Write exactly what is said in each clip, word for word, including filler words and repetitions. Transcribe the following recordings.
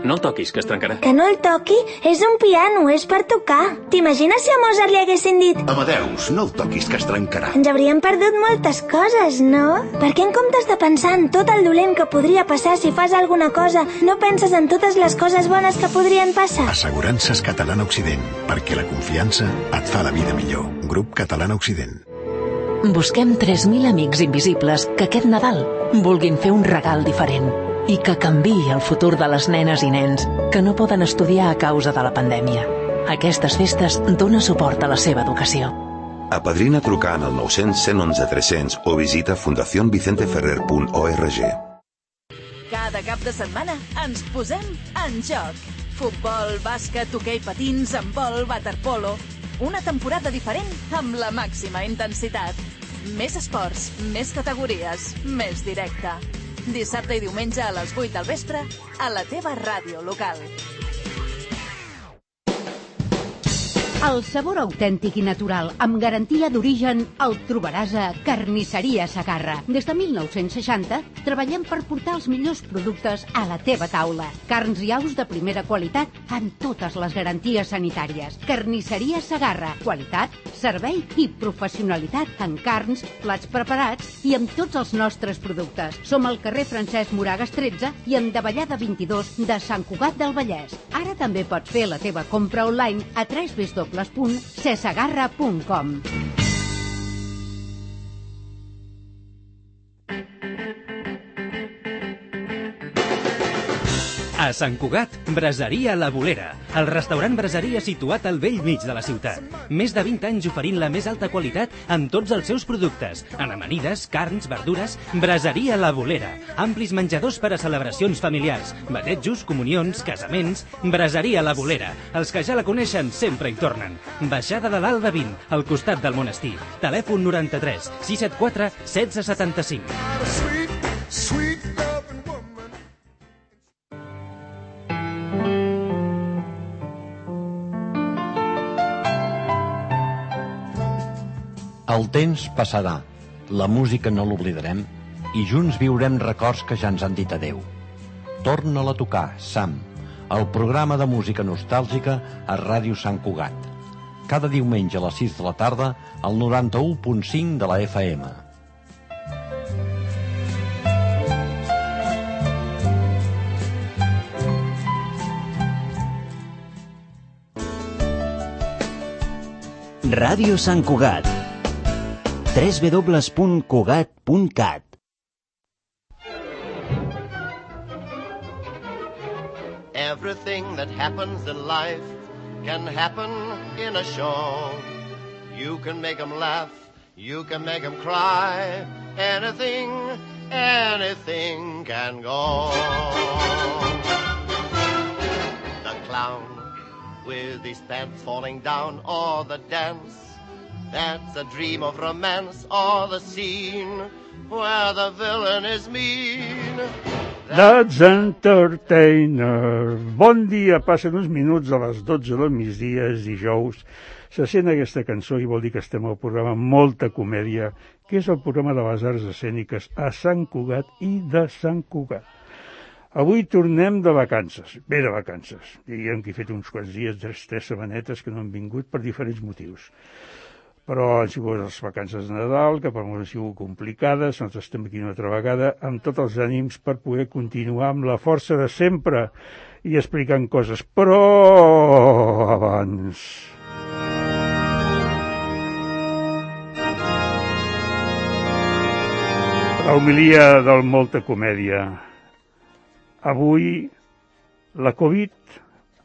No el toquis, que es trencarà. Que no el toqui? És un piano, és per tocar. T'imagines si a Mozart li haguessin dit Amadeus, no el toquis, que es trencarà. ens hauríem perdut moltes coses, no? Perquè en comptes de pensar en tot el dolent que podria passar si fas alguna cosa, no penses en totes les coses bones que podrien passar? Assegurances Catalana Occident, perquè la confiança et fa la vida millor. Grup Catalana Occident. Busquem tres mil amics invisibles que aquest Nadal vulguin fer un regal diferent i que canviï el futur de les nenes i nens que no poden estudiar a causa de la pandèmia. Aquestes festes dona suport a la seva educació. Apadrina trucant al nou cents, cent onze, tres-cents o visita fundación vicente ferrer punt org. Cada cap de setmana ens posem en joc. Futbol, bàsquet, hoquei patins, handbol, waterpolo. Una temporada diferent amb la màxima intensitat. Més esports, més categories, més directe. Dissabte i diumenge a les vuit del vespre a la teva ràdio local. El sabor autèntic i natural, amb garantia d'origen, el trobaràs a Carnisseria Segarra. Des de mil nou-cents seixanta treballem per portar els millors productes a la teva taula. Carns i aus de primera qualitat amb totes les garanties sanitàries. Carnisseria Segarra. Qualitat, servei i professionalitat en carns, plats preparats i amb tots els nostres productes. Som al carrer Francesc Moragas tretze i en Davallada vint-i-dos de Sant Cugat del Vallès. Ara també pots fer la teva compra online a w w w punt cesegarra punt com. A Sant Cugat, Braseria La Bolera, el restaurant braseria situat al vell mig de la ciutat. Més de vint anys oferint la més alta qualitat en tots els seus productes, en amanides, carns, verdures. Braseria La Bolera, amplis menjadors per a celebracions familiars, batejos, comunions, casaments. Braseria La Bolera, els que ja la coneixen sempre hi tornen. Baixada de l'Alba vint, al costat del monestir. Telèfon noranta-tres, sis set quatre, setze setanta-cinc. El temps passarà, la música no l'oblidarem i junts viurem records que ja ens han dit adeu. Torna-la a tocar, Sam, el programa de música nostàlgica a Ràdio Sant Cugat. Cada diumenge a les sis de la tarda al noranta-u punt cinc de la F M. Ràdio Sant Cugat. w w w punt cugat punt cat. Everything that happens in life can happen in a show. You can make them laugh, you can make them cry. Anything, anything can go. The clown with his pants falling down, or the dance that's a dream of romance, or the scene where the villain is mean. That's Entertainer. Bon dia, passen uns minuts a les dotze del migdia, és dijous. Se sent aquesta cançó i vol dir que estem al programa Molta Comèdia, que és el programa de les arts escèniques a Sant Cugat i de Sant Cugat. Avui tornem de vacances, bé de vacances. Diríem que he fet uns quants dies, tres, tres setmanetes que no han vingut per diferents motius. Però han sigut les vacances de Nadal, que per molts han sigut complicades. Nosaltres estem aquí una altra vegada amb tots els ànims per poder continuar amb la força de sempre i explicant coses. Però abans... La homilia del Molta Comèdia. Avui, la Covid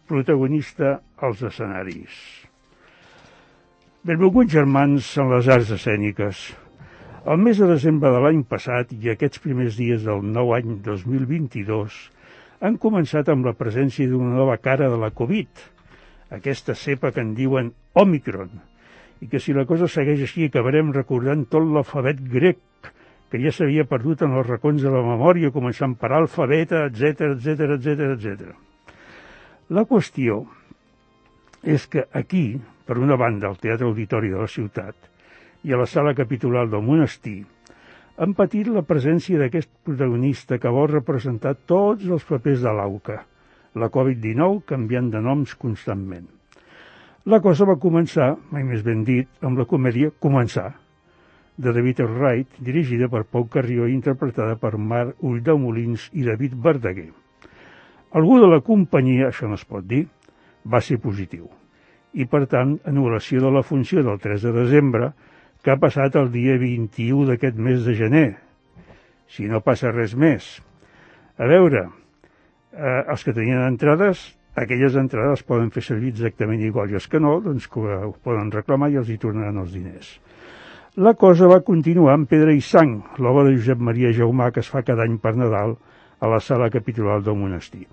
protagonista als escenaris. Benvolguts germans en les arts escèniques. El mes de desembre de l'any passat i aquests primers dies del nou any dos mil vint-i-dos han començat amb la presència d'una nova cara de la Covid, aquesta cepa que en diuen Òmicron, i que si la cosa segueix així acabarem recordant tot l'alfabet grec que ja s'havia perdut en els racons de la memòria, començant per alfa, beta, etcètera, etcètera, etcètera, etcètera. La qüestió és que aquí, per una banda, al Teatre Auditori de la ciutat i a la Sala Capitular del Monestir, han patit la presència d'aquest protagonista que vol representar tots els papers de l'auca, la covid dinou canviant de noms constantment. La cosa va començar, mai més ben dit, amb la comèdia Començar, de David Wright, dirigida per Pau Carrió i interpretada per Marc Ulldemolins i David Verdaguer. Algú de la companyia, això no es pot dir, va ser positiu. I, per tant, anul·lació de la funció del tres de desembre, que ha passat el dia vint-i-u d'aquest mes de gener, si no passa res més. A veure, eh, els que tenien entrades, aquelles entrades poden fer servir exactament igual, i els que no, doncs que ho poden reclamar i els hi tornaran els diners. La cosa va continuar amb Pedra i Sang, l'obra de Josep Maria Jaumà que es fa cada any per Nadal a la sala capitular del monestir.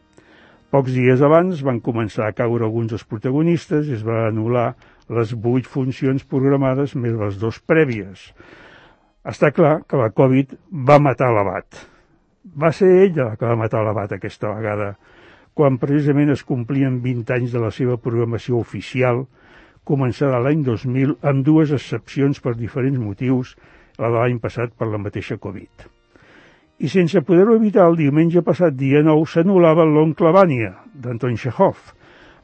Pocs dies abans van començar a caure alguns dels protagonistes i es va anul·lar les vuit funcions programades més les dues prèvies. Està clar que la Covid va matar l'abat. Va ser ella que va matar l'abat aquesta vegada, quan precisament es complien vint anys de la seva programació oficial, començarà l'any dos mil amb dues excepcions per diferents motius, la de l'any passat per la mateixa Covid. I sense poder-ho evitar, el diumenge passat dia nou s'anul·lava l'Oncle Vanya, d'Anton Txékhov,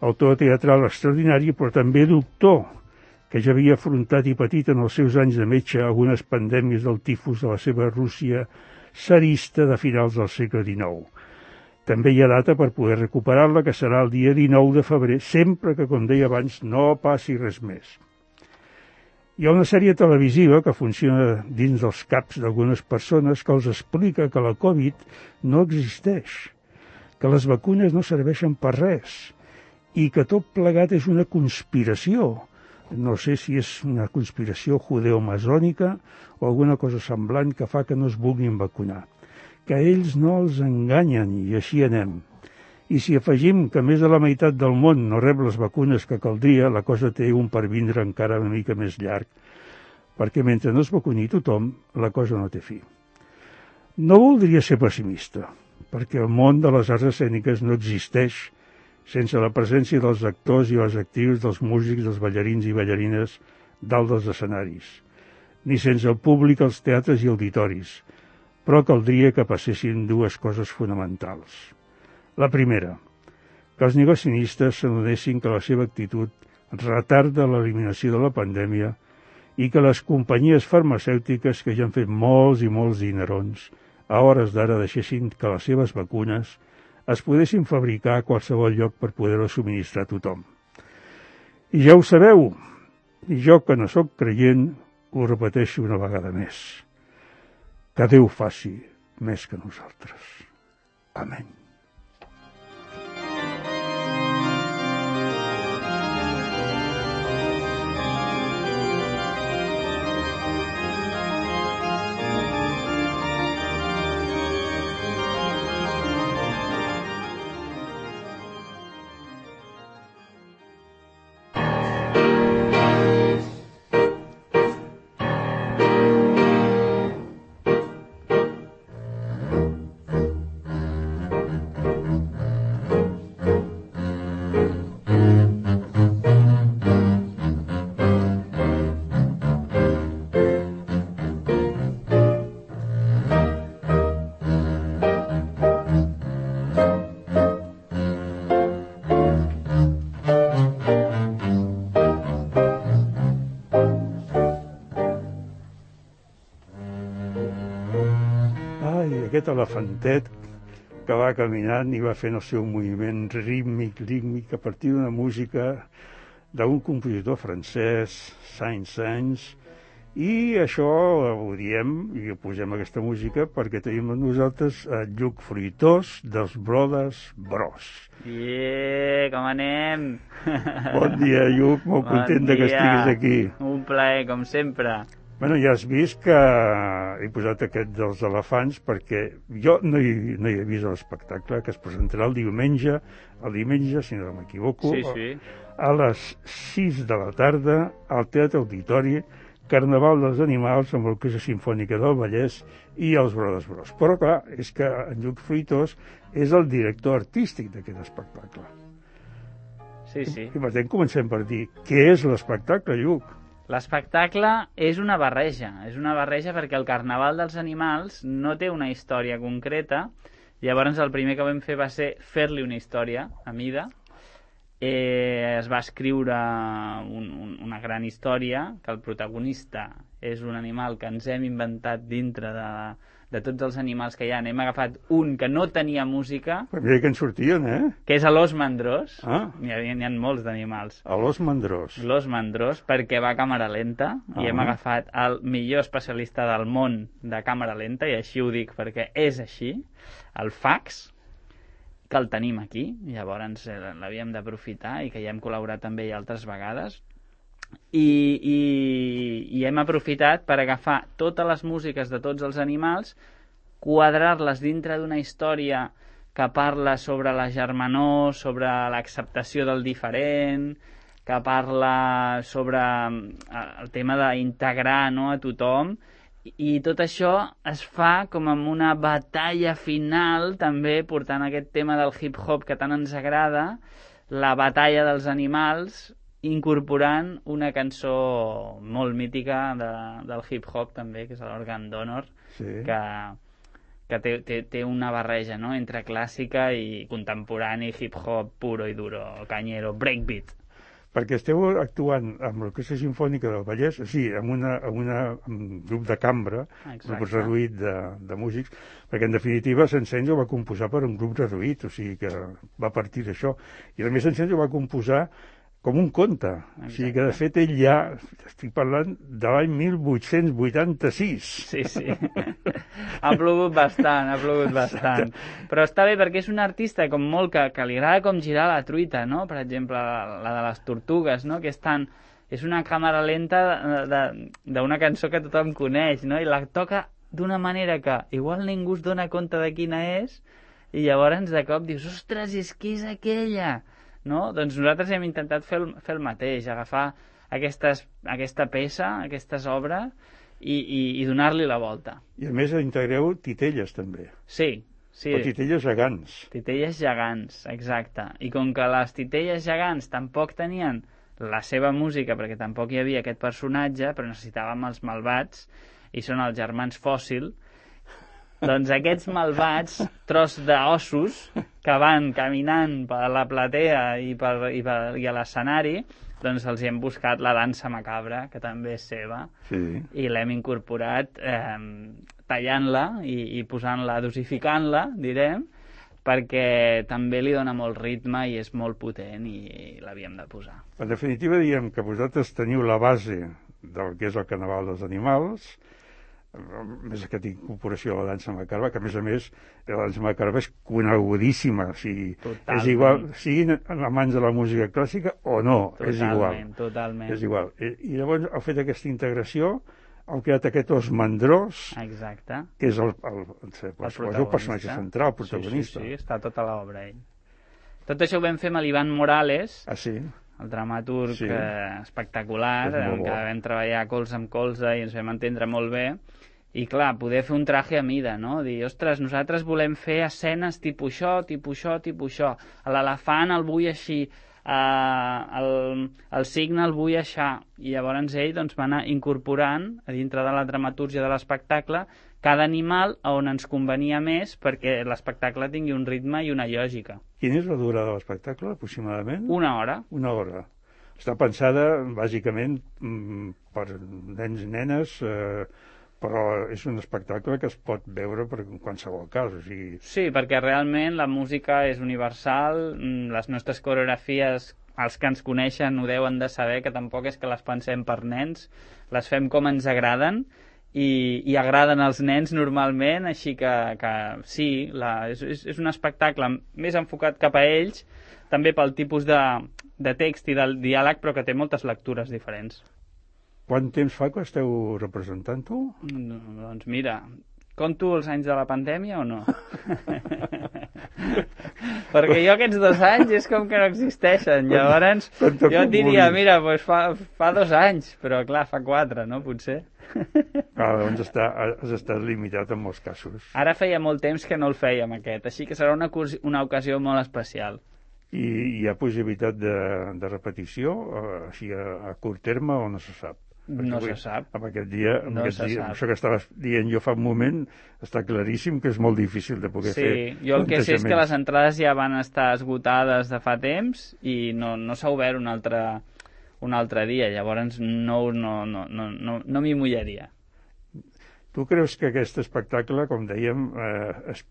autor teatral extraordinari però també doctor, que ja havia afrontat i patit en els seus anys de metge algunes pandèmies del tifus de la seva Rússia tsarista de finals del segle dinou. També hi ha data per poder recuperar-la, que serà el dia dinou de febrer, sempre que, com deia abans, no passi res més. Hi ha una sèrie televisiva que funciona dins dels caps d'algunes persones que els explica que la Covid no existeix, que les vacunes no serveixen per res i que tot plegat és una conspiració. No sé si és una conspiració judeomasònica o alguna cosa semblant que fa que no es vulguin vacunar. Que ells no els enganyen i així anem. I si afegim que més de la meitat del món no rep les vacunes que caldria, la cosa té un pervindre encara una mica més llarg, perquè mentre no es vacuni tothom, la cosa no té fi. No voldria ser pessimista, perquè el món de les arts escèniques no existeix sense la presència dels actors i les actrius, dels músics, dels ballarins i ballarines dalt dels escenaris, ni sense el públic als teatres i auditoris, però caldria que passessin dues coses fonamentals. La primera, que els negacionistes s'adonessin que la seva actitud retarda l'eliminació de la pandèmia i que les companyies farmacèutiques que ja han fet molts i molts dinerons a hores d'ara deixessin que les seves vacunes es poguessin fabricar a qualsevol lloc per poder-ho subministrar a tothom. I ja ho sabeu, i jo que no sóc creient ho repeteixo una vegada més. Que Déu faci més que nosaltres. Amén. Aquest elefantet que va caminant i va fent el seu moviment rítmic, rítmic, a partir d'una música d'un compositor francès, Saint-Saëns, i això ho diem i ho posem aquesta música perquè tenim amb nosaltres a Lluc Fruitós dels Brothers Bros. Yeah, com anem? Bon dia, Lluc, molt bon content dia. Que estiguis aquí. Un plaer, com sempre. Bueno, ja has vist que he posat aquest dels elefants perquè jo no hi, no hi he vist l'espectacle que es presentarà el diumenge, el diumenge, si no m'equivoco, sí, sí. a les sis de la tarda al Teatre Auditori, Carnaval dels Animals amb l'Orquestra Simfònica del Vallès i els Brothers Bros. Però clar, és que en Lluc Fruitós és el director artístic d'aquest espectacle. Sí, sí. I per tant comencem per dir, què és l'espectacle, Lluc? L'espectacle és una barreja, és una barreja perquè el Carnaval dels Animals no té una història concreta, Llavors el primer que vam fer va ser fer-li una història a mida. Eh, es va escriure un, un, una gran història, que el protagonista és un animal que ens hem inventat dintre de, de tots els animals que hi ha. Hem agafat un que no tenia música, Però mira que en sortien, eh? que és l'os mandrós. Ah. N'hi ha, n'hi ha molts d'animals. L'os mandrós. L'os mandrós, perquè va a càmera lenta, Ah. i hem agafat el millor especialista del món de càmera lenta, i així ho dic perquè és així, el Fax, que el tenim aquí, llavors eh, l'havíem d'aprofitar, i que ja hem col·laborat amb ell altres vegades, i, i, i hem aprofitat per agafar totes les músiques de tots els animals, quadrar-les dintre d'una història que parla sobre la germanor, sobre l'acceptació del diferent, que parla sobre el tema d'integrar, no, a tothom, i tot això es fa com amb una batalla final, també portant aquest tema del hip-hop que tant ens agrada, la batalla dels animals, incorporant una cançó molt mítica de, del hip-hop també, que és l'Organ Donor, Sí. que, que té, té, té una barreja, no?, entre clàssica i contemporani, hip-hop puro i duro, cañero, breakbeat. Perquè esteu actuant amb l'Orquestra Simfònica del Vallès, sí, amb, una, amb, una, amb un grup de cambra, un grup reduït de, de músics, perquè en definitiva Sencenzo va composar per un grup reduït, o sigui que va partir d'això. I a més Sencenzo va composar com un conte, o sigui que de fet ell ja, estic parlant de l'any mil vuit-cents vuitanta-sis. Sí, sí. Ha plogut bastant, ha plogut bastant. Però està bé perquè és un artista com molt que, que li agrada com girar la truita, no? Per exemple, la, la de les tortugues, no? Que és tan... És una càmera lenta d'una cançó que tothom coneix, no? I la toca d'una manera que igual ningú es dona compte de quina és, i llavors de cop dius, ostres, és que és aquella, no? Doncs nosaltres hem intentat fer el, fer el mateix, agafar aquestes, aquesta peça, aquestes obres, i, i, i donar-li la volta. I a més integreu titelles també. Sí, sí. O titelles gegants. Titelles gegants, exacte. I com que les titelles gegants tampoc tenien la seva música, perquè tampoc hi havia aquest personatge, però necessitàvem els malvats, i són els germans Fòssil, doncs aquests malvats, tros d'ossos, que van caminant per la platea i, per, i, per, i a l'escenari, doncs els hi hem buscat la dansa macabra, que també és seva, sí. I l'hem incorporat eh, tallant-la i, i posant-la, dosificant-la, direm, perquè també li dona molt ritme i és molt potent i l'havíem de posar. En definitiva, diem que vosaltres teniu la base del que és el Carnaval dels Animals, més aquesta incorporació a la dansa macarba, que a més a més la dansa macarba és conegudíssima, o sigui, és igual, siguin amants de la música clàssica o no, totalment, és igual. Totalment. És igual. I, i llavors heu fet aquesta integració, heu creat aquest os mandrós, exacte, que és el, el, el, el, el, el personatge central, el protagonista. Sí, sí, sí, està tota l'obra ell. Tot això ho vam fer amb l'Ivan Morales, ah, sí? el dramaturg sí. eh, espectacular, amb què vam treballar colze amb colze i ens vam entendre molt bé. I clar, poder fer un traje a mida, no? Dir, ostres, nosaltres volem fer escenes tipus això, tipus això, tipus això. L'elefant el vull així, eh, el, el signe el vull així. I llavors ell doncs, va anar incorporant a dintre de la dramatúrgia de l'espectacle cada animal on ens convenia més perquè l'espectacle tingui un ritme i una lògica. Quina és la durada de l'espectacle, aproximadament? Una hora. Una hora. Està pensada, bàsicament, per nens i nenes, eh, però és un espectacle que es pot veure per qualsevol cas. O sigui... Sí, perquè realment la música és universal, les nostres coreografies, els que ens coneixen ho deuen de saber, que tampoc és que les pensem per nens, les fem com ens agraden, i, i agraden als nens normalment, així que, que sí, la, és, és un espectacle més enfocat cap a ells, també pel tipus de, de text i del diàleg, però que té moltes lectures diferents. Quant temps fa que esteu representant-ho? No, doncs mira, conto els anys de la pandèmia o no? Perquè jo aquests dos anys és com que no existeixen. Llavors jo et diria, mira, doncs fa, fa dos anys, però clar, fa quatre, no? Potser. Ah, doncs està, has estat limitat en molts casos. Ara feia molt temps que no el fèiem aquest, així que serà una, una ocasió molt especial. I hi ha possibilitat de, de repetició, així a, a curt terme, o no se sap? No se sap. Amb aquest dia, amb no aquest se dia sap. això que estaves dient jo fa un moment, està claríssim que és molt difícil de poder sí, fer Sí, jo el que sé és que les entrades ja van estar esgotades de fa temps i no, no s'ha obert un altre, un altre dia, llavors no, no, no, no, no, no m'hi mullaria. Tu creus que aquest espectacle, com dèiem, eh, és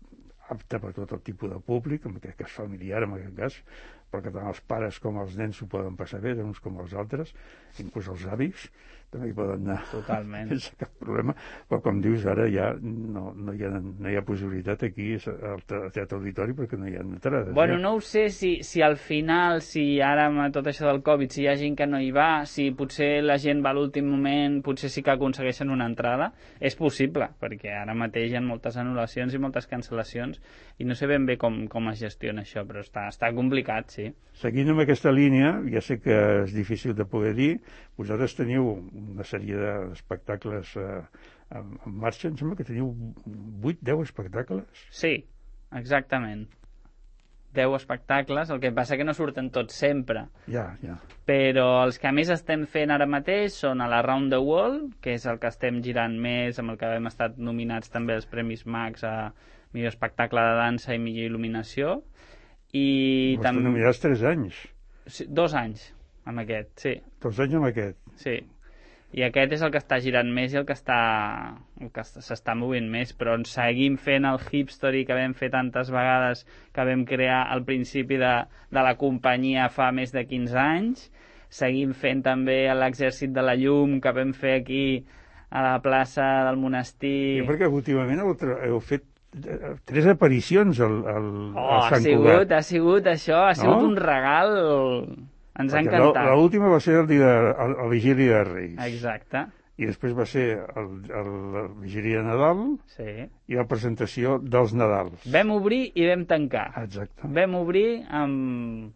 apte per tot el tipus de públic, que és familiar en aquest cas, perquè tant els pares com els nens s'ho poden passar bé, uns com els altres, inclús els avis, també hi poden anar Totalment. sense cap problema, però com dius ara ja no, no, hi, ha, no hi ha possibilitat aquí al Teatre Auditori perquè no hi ha entrades. Bueno, ja. no ho sé si, si al final, si ara amb tot això del Covid, si hi ha gent que no hi va, si potser la gent va a l'últim moment, potser sí que aconsegueixen una entrada, és possible, perquè ara mateix hi ha moltes anul·lacions i moltes cancel·lacions i no sé ben bé com, com es gestiona això, però està, està complicat, sí. Seguint amb aquesta línia, ja sé que és difícil de poder dir, vosaltres teniu una sèrie d'espectacles eh, en, en marxa, em sembla que teniu vuit, deu espectacles? Sí, exactament. deu espectacles, el que passa que no surten tots sempre. Ja, ja. Però els que més estem fent ara mateix són a l'Around the World, que és el que estem girant més, amb el que hem estat nominats també als Premis Max a millor espectacle de dansa i millor il·luminació. I Vos també... nominats tres anys. Sí, dos anys, amb aquest, sí. Dos anys amb aquest. Sí. I aquest és el que està girant més i el que està el que s'està movent més, però ens seguim fent el Hipstory que vam fer tantes vegades, que vam crear al principi de, de la companyia fa més de quinze anys. Seguim fent també l'Exèrcit de la Llum que vam fer aquí a la plaça del monestir. I perquè últimament heu, heu fet tres aparicions al, al, oh, al Sant ha sigut, Cugat. Ha sigut això, ha sigut no? un regal... Ens ha encantat. L'última va ser el dia de, el, el Vigília de Reis. Exacte. I després va ser el, el, el Vigília de Nadal sí. i la presentació dels Nadals. Vam obrir i vam tancar. Exacte. Vam obrir amb,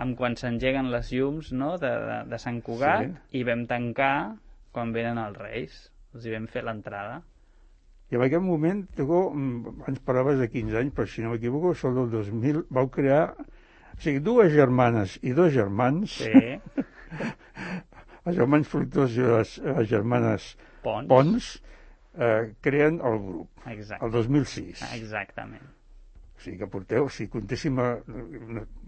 amb quan s'engeguen les llums, no?, de, de, de Sant Cugat, sí. i vam tancar quan venen els Reis. Els hi vam fer l'entrada. I en aquest moment, tu, ens parlaves de quinze anys, però si no m'equivoco, sol del dos mil, vau crear... O sigui, dues germanes i dos germans, sí. els germans Fructós i les, les germanes Pons, Pons eh, creen el grup, Exacte. el dos mil sis. Exactament. O sigui que porteu, si comptéssim, a,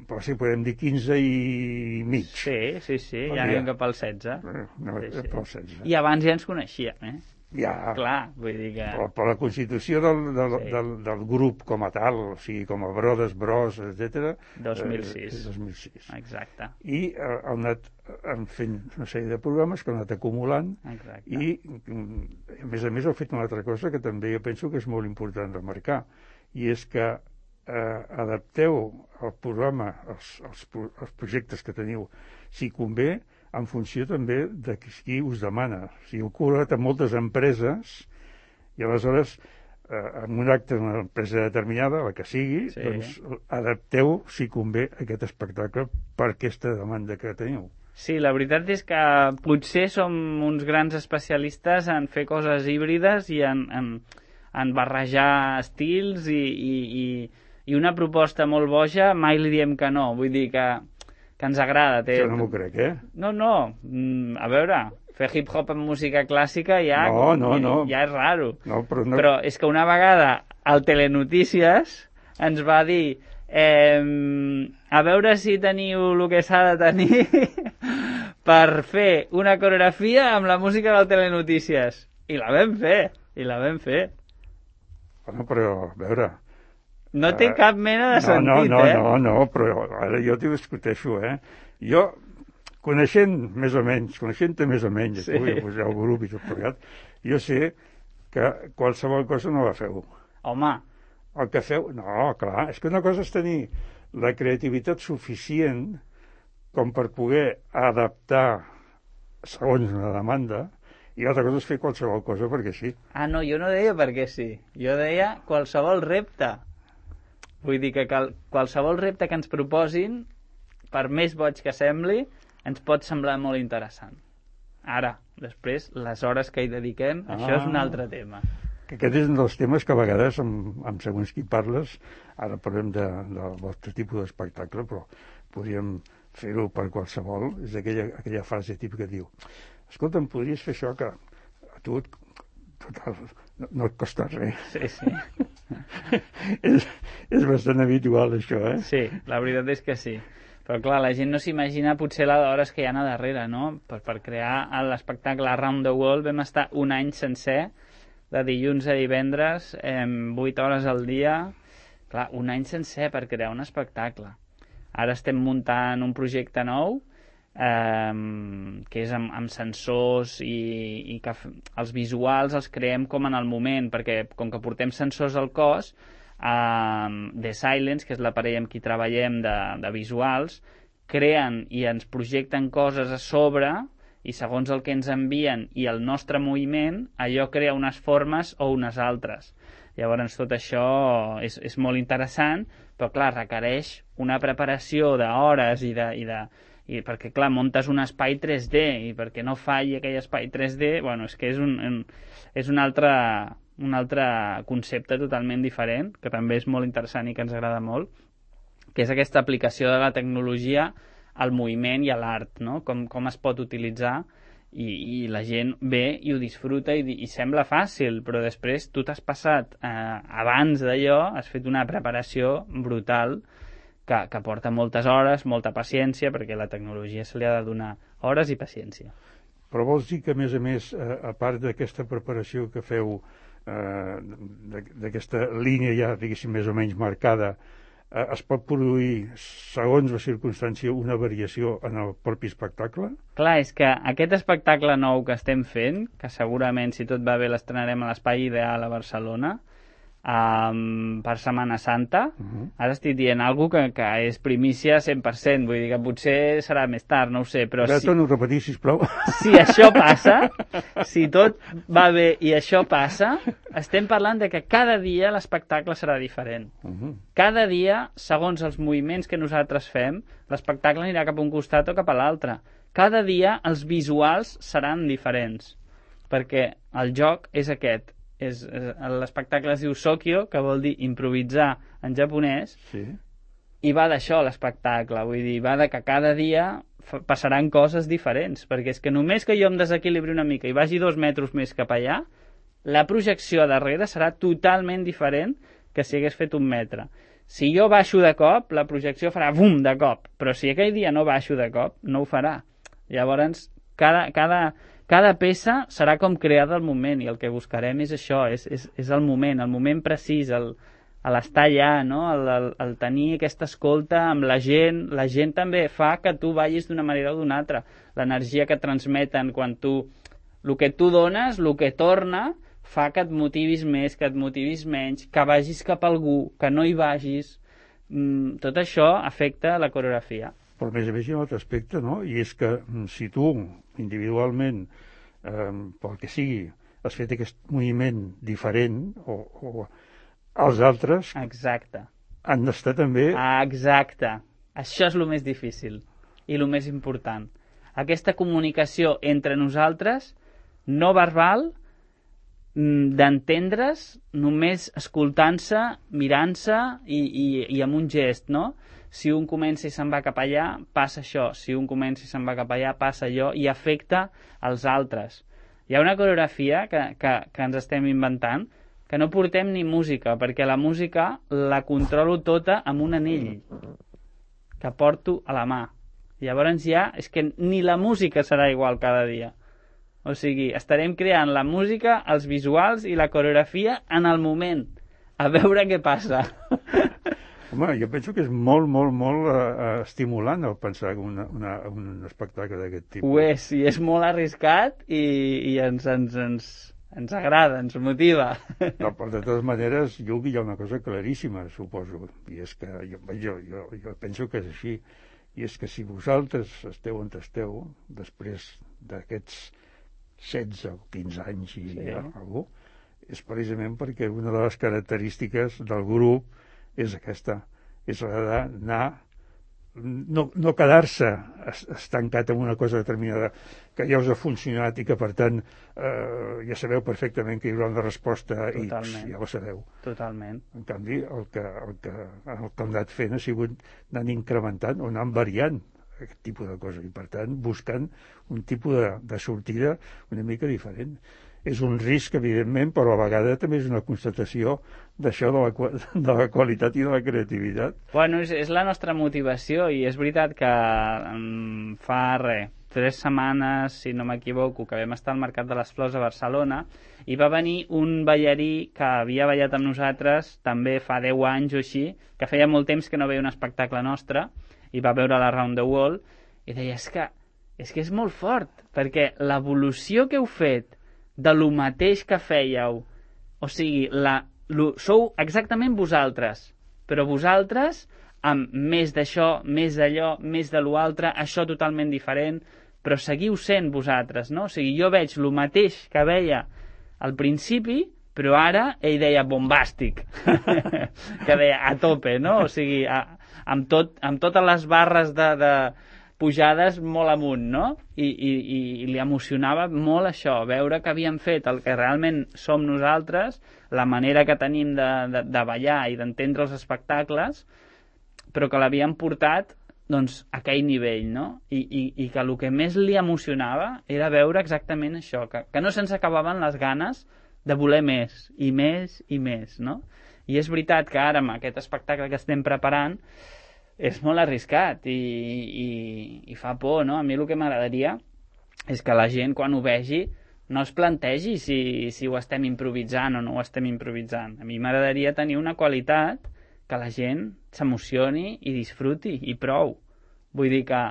però si podem dir quinze i mig. Sí, sí, sí, ja anem cap al setze. No, sí, sí. Cap al setze. I abans ja ens coneixíem, eh? Ja, clar, vull dir que... però, però la constitució del, del, sí. del, del grup com a tal, o sigui, com a Brodes, Bros, etcètera... dos mil sis. Eh, dos mil sis. Exacte. I eh, heu anat fent una sèrie de programes que heu anat acumulant. Exacte. I, a més a més, heu fet una altra cosa que també jo penso que és molt important remarcar, i és que eh, adapteu el programa, els, els, els projectes que teniu, si convé, en funció també de qui us demana. O sigui, heu col·laborat amb moltes empreses i aleshores, eh, en un acte d'una empresa determinada, la que sigui, sí. doncs adapteu, si convé, aquest espectacle per aquesta demanda que teniu. Sí, la veritat és que potser som uns grans especialistes en fer coses híbrides i en, en, en barrejar estils i, i, i, i una proposta molt boja mai li diem que no. Vull dir que que ens agrada. Té... Això no m'ho crec, eh? No, no, a veure, fer hip-hop amb música clàssica ja, no, no, no. ja és raro. No, però, no... però és que una vegada al Telenotícies ens va dir eh, a veure si teniu el que s'ha de tenir per fer una coreografia amb la música del Telenotícies. I la vam fer, i la vam fer. Bueno, però, a veure... No té cap mena de sentit, no, no, eh? No, no, no, però ara jo t'ho discuteixo, eh? Jo, coneixent més o menys, coneixent-te més o menys, sí. tu, i pues, el grup i tot plegat, jo sé que qualsevol cosa no la feu. Home. El que feu... No, clar, és que una cosa és tenir la creativitat suficient com per poder adaptar segons una demanda, i l'altra cosa és fer qualsevol cosa perquè sí. Ah, no, jo no deia perquè sí. Jo deia qualsevol repte. Vull dir que cal, qualsevol repte que ens proposin, per més boig que sembli, ens pot semblar molt interessant. Ara, després, les hores que hi dediquem, ah, això és un altre tema. Que aquest és un dels temes que a vegades, amb, amb segons qui parles, ara parlem de, del vostre tipus d'espectacle, però podríem fer-ho per qualsevol. És aquella, aquella frase típica que diu escolta'm, podries fer això, que a tu, total, no, no et costa res. Sí, sí. és, és bastant habitual, això, eh? Sí, la veritat és que sí. Però clar, la gent no s'imagina potser les hores que hi ha a darrere, no? Per, per crear l'espectacle Around the World vam estar un any sencer, de dilluns a divendres, eh, vuit hores al dia. Clar, un any sencer per crear un espectacle. Ara estem muntant un projecte nou, eh, que és amb, amb sensors i, i que els visuals els creem com en el moment, perquè com que portem sensors al cos, eh, The Silence, que és l'aparell amb qui treballem de, de visuals, creen i ens projecten coses a sobre, i segons el que ens envien i el nostre moviment, allò crea unes formes o unes altres. Llavors tot això és, és molt interessant, però clar, requereix una preparació d'hores i de, i de, i perquè clar, muntes un espai tres D i perquè no falli aquell espai tres D, bueno, és que és un, un, és un, altre, un altre concepte totalment diferent, que també és molt interessant i que ens agrada molt, que és aquesta aplicació de la tecnologia al moviment i a l'art, no? Com, com es pot utilitzar. I, i la gent ve i ho disfruta i, i sembla fàcil, però després tu t'has passat eh, abans d'allò, has fet una preparació brutal que, que porta moltes hores, molta paciència, perquè la tecnologia se li ha de donar hores i paciència. Però vols dir que, a més a més, eh, a part d'aquesta preparació que feu, eh, d'aquesta línia ja, diguéssim, més o menys marcada, eh, es pot produir, segons la circumstància, una variació en el propi espectacle? Clar, és que aquest espectacle nou que estem fent, que segurament, si tot va bé, l'estrenarem a l'Espai Ideal a Barcelona, um, per Setmana Santa. Uh-huh. Ara estic dient alguna cosa que, que és primícia cent per cent, vull dir que potser serà més tard, no ho sé, però... Ja si... torno a repetir, sisplau. Si això passa, si tot va bé i això passa, estem parlant de que cada dia l'espectacle serà diferent. Uh-huh. Cada dia, segons els moviments que nosaltres fem, l'espectacle anirà cap a un costat o cap a l'altre. Cada dia els visuals seran diferents, perquè el joc és aquest. És, l'espectacle es diu Sokyo, que vol dir improvisar en japonès, sí. I va d'això l'espectacle, vull dir, va de que cada dia passaran coses diferents, perquè és que només que jo em desequilibri una mica i vagi dos metres més cap allà, la projecció darrere serà totalment diferent que si hagués fet un metre. Si jo baixo de cop, la projecció farà bum de cop, però si aquell dia no baixo de cop, no ho farà. Llavors, cada... cada Cada peça serà com creada al moment, i el que buscarem és això, és, és, és el moment, el moment precís, el, l'estar allà, no? el, el, el tenir aquesta escolta amb la gent. La gent també fa que tu vagis d'una manera o d'una altra. L'energia que transmeten quan tu... El que tu dones, el que torna, fa que et motivis més, que et motivis menys, que vagis cap a algú, que no hi vagis. Mm, tot això afecta la coreografia. Però a més a més hi ha un altre aspecte, no? I és que si tu individualment, eh, pel que sigui, has fet aquest moviment diferent, o, o els altres Exacte. Han d'estar també... Exacte. Això és el més difícil i el més important. Aquesta comunicació entre nosaltres, no verbal, d'entendre's només escoltant-se, mirant-se i, i, i amb un gest, no? Si un comença i se'n va cap allà, passa això. Si un comença i se'n va cap allà, passa allò, i afecta els altres. Hi ha una coreografia que, que, que ens estem inventant, que no portem ni música, perquè la música la controlo tota amb un anell que porto a la mà. Llavors ja, és que ni la música serà igual cada dia. O sigui, estarem creant la música, els visuals i la coreografia en el moment. A veure què passa. Home, jo penso que és molt, molt, molt uh, estimulant el pensar una, una, un espectacle d'aquest tipus. Ho és, i és molt arriscat i, i ens, ens, ens, ens agrada, ens motiva. No, però de totes maneres, jo hi ha una cosa claríssima, suposo, i és que jo, jo, jo, jo penso que és així, i és que si vosaltres esteu on esteu, després d'aquests setze o quinze anys i sí. Ja, algú, és precisament perquè una de les característiques del grup és aquesta, és la d'anar, no, no quedar-se estancat en una cosa determinada que ja us ha funcionat i que, per tant, eh, ja sabeu perfectament que hi haurà una resposta. Totalment. X, ja ho sabeu. Totalment. En canvi, el que, el que, el que hem anat fent ha sigut anant incrementant o anant variant aquest tipus de cosa, i per tant buscant un tipus de, de sortida una mica diferent. És un risc, evidentment, però a vegades també és una constatació d'això de, la, de la qualitat i de la creativitat. Bueno, és, és la nostra motivació, i és veritat que um, fa res, tres setmanes, si no m'equivoco, que vam estar al Mercat de les Flors a Barcelona, i va venir un ballarí que havia ballat amb nosaltres també fa deu anys o així, que feia molt temps que no veia un espectacle nostre, i va veure la Round the World, i deia, és que és, que és molt fort, perquè l'evolució que heu fet de lo mateix que fèieu, o sigui, la, lo, sou exactament vosaltres, però vosaltres amb més d'això, més d'allò, més de lo altre, això totalment diferent, però seguiu sent vosaltres, no? O sigui, jo veig lo mateix que veia al principi, però ara ell deia bombàstic, que deia a tope, no? O sigui, a, amb, tot, amb totes les barres de, de pujades molt amunt, no? I, i, i li emocionava molt això, veure que havíem fet el que realment som nosaltres, la manera que tenim de, de, de ballar i d'entendre els espectacles, però que l'havíem portat doncs, a aquell nivell, no? I, i, i que el que més li emocionava era veure exactament això, que, que no se'ns acabaven les ganes de voler més, i més, i més, no? I és veritat que ara, amb aquest espectacle que estem preparant, és molt arriscat i, i, i fa por, no? A mi el que m'agradaria és que la gent, quan ho vegi, no es plantegi si, si ho estem improvisant o no ho estem improvisant. A mi m'agradaria tenir una qualitat que la gent s'emocioni i disfruti, i prou. Vull dir que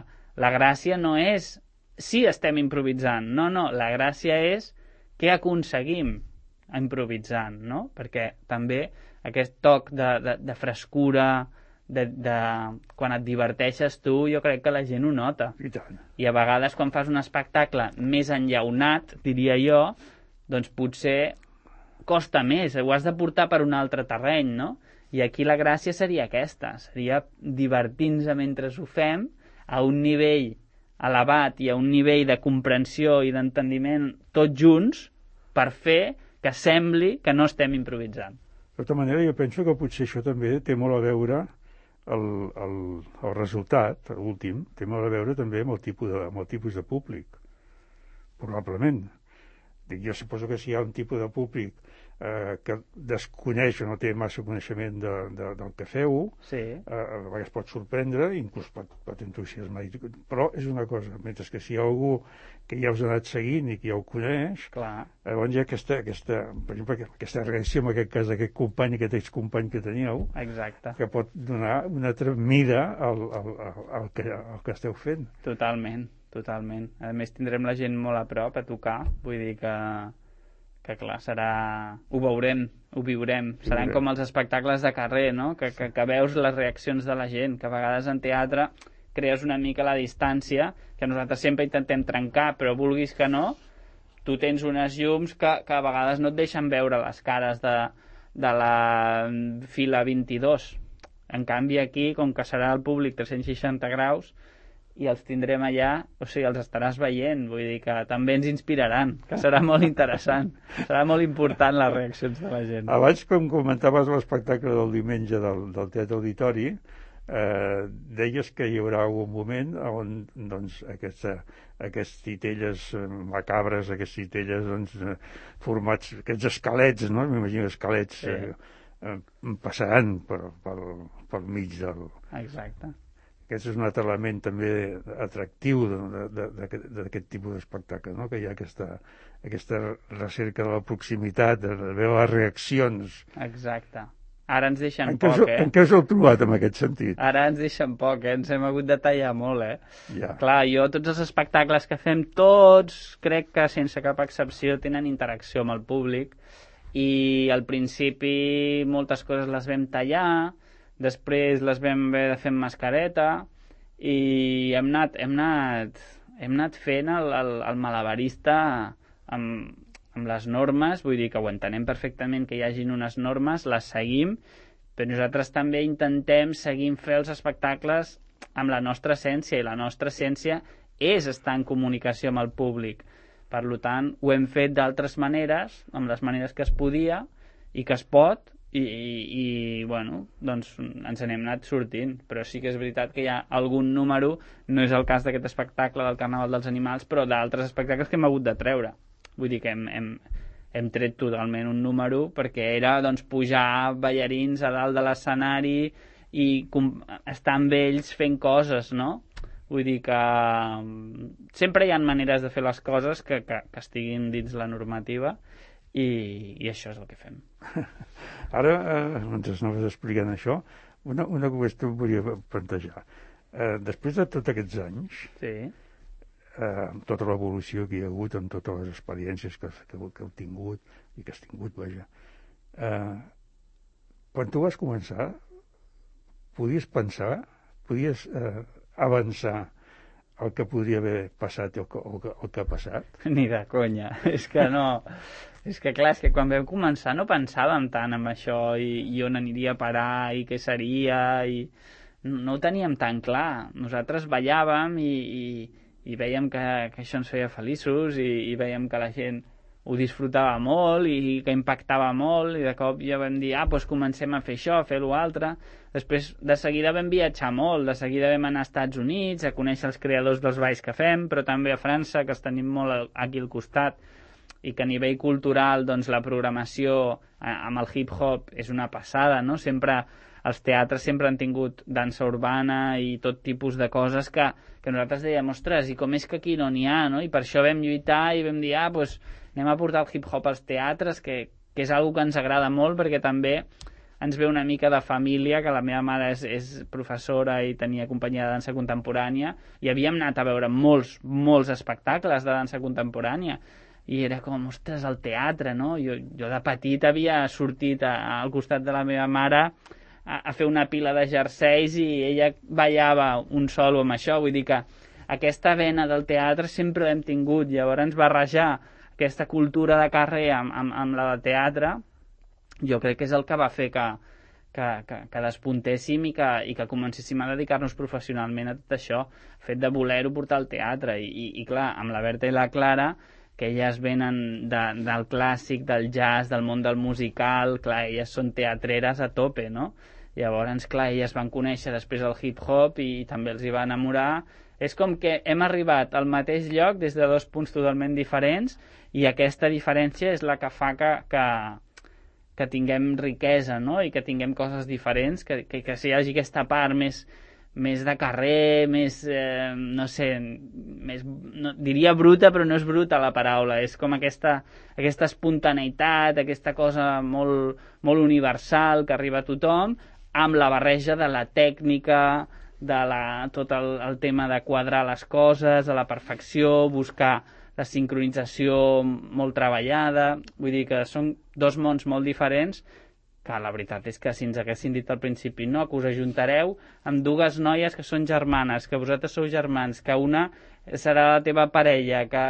la gràcia no és si estem improvisant, no, no, la gràcia és què aconseguim improvisant, no? Perquè també aquest toc de, de, de frescura, de, de, quan et diverteixes tu, jo crec que la gent ho nota. I tant. I a vegades quan fas un espectacle més enllaunat, diria jo, doncs potser costa més, ho has de portar per un altre terreny, no? I aquí la gràcia seria aquesta, seria divertir-nos mentre ho fem a un nivell elevat i a un nivell de comprensió i d'entendiment tots junts per fer que sembli que no estem improvisant. De tota manera, jo penso que potser això també té molt a veure el, el, el resultat, l'últim, té molt a veure també amb el tipus de, amb el tipus de públic, probablement. Dic, jo suposo que si hi ha un tipus de públic eh, que desconeix o no té massa coneixement de, de, del que feu, sí. eh, a vegades pot sorprendre, inclús pot, pot entusiasmar, però és una cosa, mentre que si hi ha algú que ja us ha anat seguint i que ja ho coneix, clar. Llavors hi ha aquesta, aquesta, per exemple, aquesta reacció en aquest cas d'aquest company, aquest excompany que teníeu, exacte, que pot donar una altra mida al, al, al, al, que, al que esteu fent. Totalment, totalment. A més tindrem la gent molt a prop a tocar, vull dir que, que clar, serà... ho veurem, ho viurem. Seran com els espectacles de carrer, no? Que, que, que veus les reaccions de la gent, que a vegades en teatre crees una mica la distància, que nosaltres sempre intentem trencar, però vulguis que no, tu tens unes llums que, que a vegades no et deixen veure les cares de, de la fila vint-i-dos. En canvi aquí, com que serà el públic tres-cents seixanta graus, i els tindrem allà, o sigui, els estaràs veient, vull dir que també ens inspiraran, que serà molt interessant, serà molt important les reaccions de la gent. Abans, com comentaves l'espectacle del diumenge del, del Teatre Auditori, eh, deies que hi haurà algun moment on doncs, aquesta, aquests titelles macabres, aquests titelles doncs, formats, aquests esquelets, no? M'imagino esquelets sí. eh, eh, passaran per, per, pel mig del... Exacte. Aquest és un altre element també atractiu d'aquest tipus d'espectacle, no? Que hi ha aquesta, aquesta recerca de la proximitat, de veure les reaccions. Exacte. Ara ens deixen en poc, us, eh? En què us heu trobat en aquest sentit? Ara ens deixen poc, eh? Ens hem hagut de tallar molt, eh? Ja. Clar, jo tots els espectacles que fem, tots, crec que sense cap excepció, tenen interacció amb el públic, i al principi moltes coses les vam tallar, després les vam haver de fer amb mascareta, i hem anat, hem anat, hem anat fent el, el, el malabarista amb, amb les normes, vull dir que ho entenem perfectament que hi hagin unes normes, les seguim, però nosaltres també intentem seguir fer els espectacles amb la nostra essència, i la nostra essència és estar en comunicació amb el públic. Per tant, ho hem fet d'altres maneres, amb les maneres que es podia i que es pot, i, i, i bueno, doncs ens n'hem anat sortint, però sí que és veritat que hi ha algun número, no és el cas d'aquest espectacle del Carnaval dels Animals, però d'altres espectacles que hem hagut de treure. Vull dir que hem, hem, hem tret totalment un número perquè era doncs, pujar ballarins a dalt de l'escenari i estar amb ells fent coses, no? Vull dir que sempre hi ha maneres de fer les coses que, que, que estiguin dins la normativa i, i això és el que fem. Ara, eh, mentre anaves explicant això, una, una qüestió em volia plantejar. Eh, després de tots aquests anys, sí. eh, amb tota l'evolució que hi ha hagut, amb totes les experiències que, que, que heu tingut i que has tingut, vaja, eh, quan tu vas començar, podies pensar, podies eh, avançar el que podria haver passat o el que, el que, el que ha passat? Ni de conya, és que no... És que clar, és que quan vam començar no pensàvem tant en això i, i on aniria a parar i què seria i no ho teníem tan clar. Nosaltres ballàvem i, i, i veiem que, que això ens feia feliços i, i veiem que la gent ho disfrutava molt i que impactava molt i de cop ja vam dir, ah, doncs comencem a fer això, a fer l'altre. Després de seguida vam viatjar molt, de seguida vam anar als Estats Units a conèixer els creadors dels balls que fem, però també a França, que els tenim molt aquí al costat, i que a nivell cultural doncs, la programació amb el hip-hop és una passada, no? Sempre, els teatres sempre han tingut dansa urbana i tot tipus de coses que, que nosaltres dèiem, ostres, i com és que aquí no n'hi ha, no? I per això vam lluitar i vam dir, ah, doncs anem a portar el hip-hop als teatres, que, que és una que ens agrada molt, perquè també ens ve una mica de família, que la meva mare és, és professora i tenia companyia de dansa contemporània, i havíem anat a veure molts, molts espectacles de dansa contemporània, i era com, ostres, el teatre, no? Jo, jo de petit havia sortit a, al costat de la meva mare a, a fer una pila de jerseis i ella ballava un solo amb això, vull dir que aquesta vena del teatre sempre l'hem tingut, llavors barrejar aquesta cultura de carrer amb, amb, amb la de teatre, jo crec que és el que va fer que, que, que, que despuntéssim i que, i que comencéssim a dedicar-nos professionalment a tot això, fet de voler-ho portar al teatre. I, i, i clar, amb la Berta i la Clara, que elles venen de, del clàssic, del jazz, del món del musical, clar, elles són teatreres a tope, no? Llavors, clar, elles van conèixer després el hip-hop i, i també els hi va enamorar. És com que hem arribat al mateix lloc des de dos punts totalment diferents i aquesta diferència és la que fa que, que, que tinguem riquesa, no? I que tinguem coses diferents, que, que, que hi hagi aquesta part més, més de carrer, més, eh, no sé, més, no, diria bruta, però no és bruta la paraula, és com aquesta, aquesta espontaneïtat, aquesta cosa molt, molt universal que arriba a tothom, amb la barreja de la tècnica, de la, tot el, el tema de quadrar les coses a la perfecció, buscar la sincronització molt treballada. Vull dir que són dos mons molt diferents que la veritat és que si ens haguessin dit al principi no, que us ajuntareu amb dues noies que són germanes, que vosaltres sou germans, que una serà la teva parella, que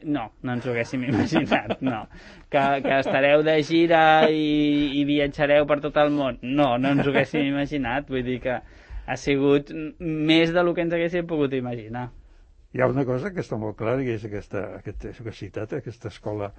no, no ens ho haguéssim imaginat, no. Que, que estareu de gira i, i viatjareu per tot el món, no, no ens ho haguéssim imaginat. Vull dir que ha sigut més del que ens haguéssim pogut imaginar. Hi ha una cosa que està molt clara, que és aquesta, aquesta, això que has citat, aquesta escola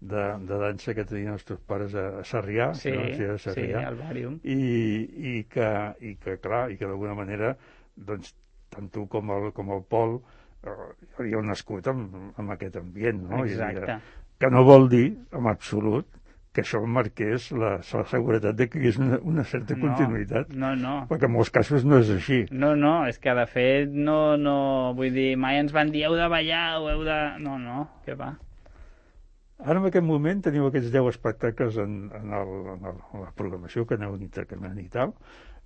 de, de dansa que tenien els teus pares a Sarrià, sí, no? Sí, a Sarrià, sí, al Bàrium. I, i, que, i que, clar, i que d'alguna manera, doncs, tant tu com el, com el Pol eh, havíeu nascut amb, amb aquest ambient, no? Exacte. I, que no vol dir, en absolut, que això marqués la, la seguretat de que hi hagués una, una certa no, continuïtat. No, no. Perquè en molts casos no és així. No, no, és que de fet no, no, vull dir, mai ens van dir heu de ballar o heu de... No, no, què va. Ara en aquest moment teniu aquests deu espectacles en, en, el, en, el, en la programació que aneu intercanviant i tal,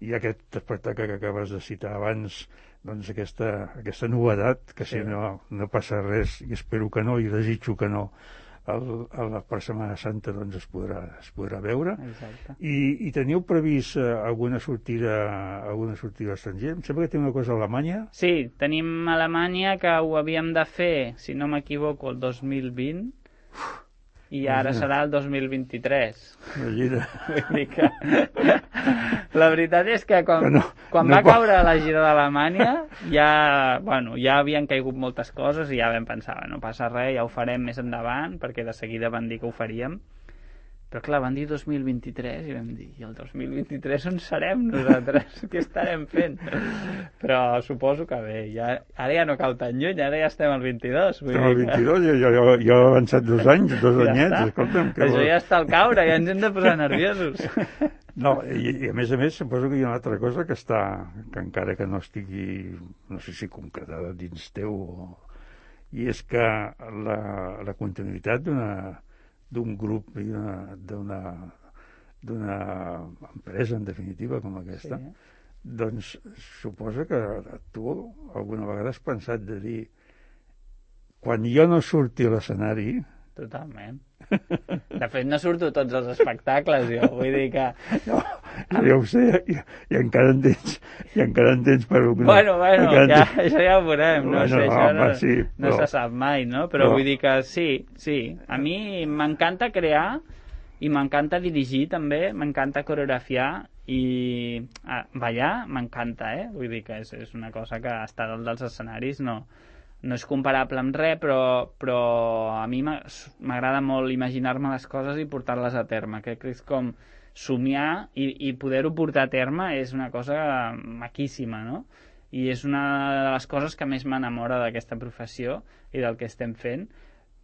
i aquest espectacle que acabes de citar abans, doncs aquesta, aquesta novedat, que sí. Si no, no passa res, i espero que no, i desitjo que no, El, el, per Setmana Santa doncs es podrà, es podrà veure. Exacte. I, i teniu previst eh, alguna sortida alguna sortida a l'estranger? Em sembla que té una cosa a Alemanya. Sí, tenim a Alemanya, que ho havíem de fer, si no m'equivoco, el dos mil vint, i ara Imagina. Serà el dos mil vint-i-tres. Imagina. Vull dir que... La veritat és que quan, que no, quan no va caure la gira d'Alemanya ja, bueno, ja havien caigut moltes coses i ja vam pensar, no passa res, ja ho farem més endavant, perquè de seguida van dir que ho faríem, Però clar, van dir dos mil vint-i-tres i vam dir, i el dos mil vint-i-tres on serem nosaltres? Què estarem fent? Però suposo que bé, ja, ara ja no cal tan lluny, ara ja estem al vint-i-dos. Estem al vint-i-dos, jo, jo, jo he avançat dos anys, dos ja anyets, està. Escolta'm. Que Això ja està al caure, ja ens hem de posar nerviosos. No, i, i a més a més suposo que hi ha una altra cosa que està, que encara que no estigui, no sé si concretada dins teu, i és que la, la continuïtat d'una d'un grup i d'una d'una empresa, en definitiva, com aquesta, sí. Doncs suposa que tu alguna vegada has pensat de dir quan jo no surti a l'escenari... Totalment. De fet, no surto a tots els espectacles, jo. Vull dir que... No, ja ho sé, i, i encara en tens, i encara en tens per... Una, bueno, bueno, ja, tens... això ja ho veurem, no bueno, sé, això home, no, sí, no però... se sap mai, no? Però, però vull dir que sí, sí. A mi m'encanta crear i m'encanta dirigir també, m'encanta coreografiar i ah, ballar m'encanta, eh? Vull dir que és, és una cosa que estar dalt dels escenaris no... no és comparable amb res, però, però a mi m'agrada molt imaginar-me les coses i portar-les a terme. Crec que és com somiar i, i poder-ho portar a terme és una cosa maquíssima, no? I és una de les coses que més m'enamora d'aquesta professió i del que estem fent,